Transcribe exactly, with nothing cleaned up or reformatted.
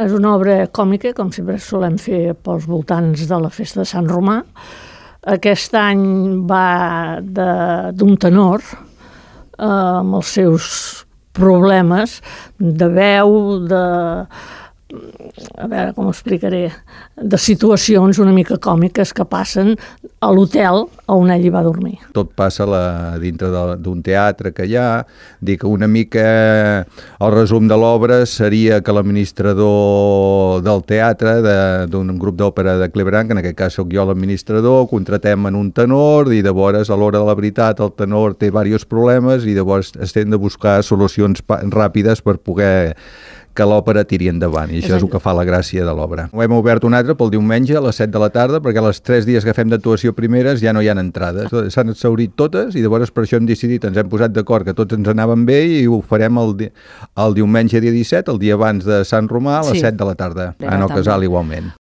és una obra còmica, com sempre solem fer pels voltants de la festa de Sant Romà. Aquest any va d'un tenor eh, amb els seus problemes de veu, de... a veure com ho explicaré, de situacions una mica còmiques que passen a l'hotel on ell hi va dormir. Tot passa la, dintre d'un teatre que hi ha. Dic, una mica el resum de l'obra seria que l'administrador del teatre, d'un grup d'òpera de Cleveland, que en aquest cas soc jo l'administrador, contratem en un tenor i llavors a l'hora de la veritat el tenor té diversos problemes i llavors estem de buscar solucions ràpides per poder que l'òpera tiri endavant, i això és el que fa la gràcia de l'obra. Ho hem obert un altre pel diumenge a les set de la tarda, perquè els tres dies que fem d'actuació primeres ja no hi ha entrades. S'han exhaurit totes i llavors per això hem decidit, ens hem posat d'acord que tots ens anaven bé i ho farem el, di el diumenge dia disset, el dia abans de Sant Romà, a les sí. set de la tarda, en el Casal igualment.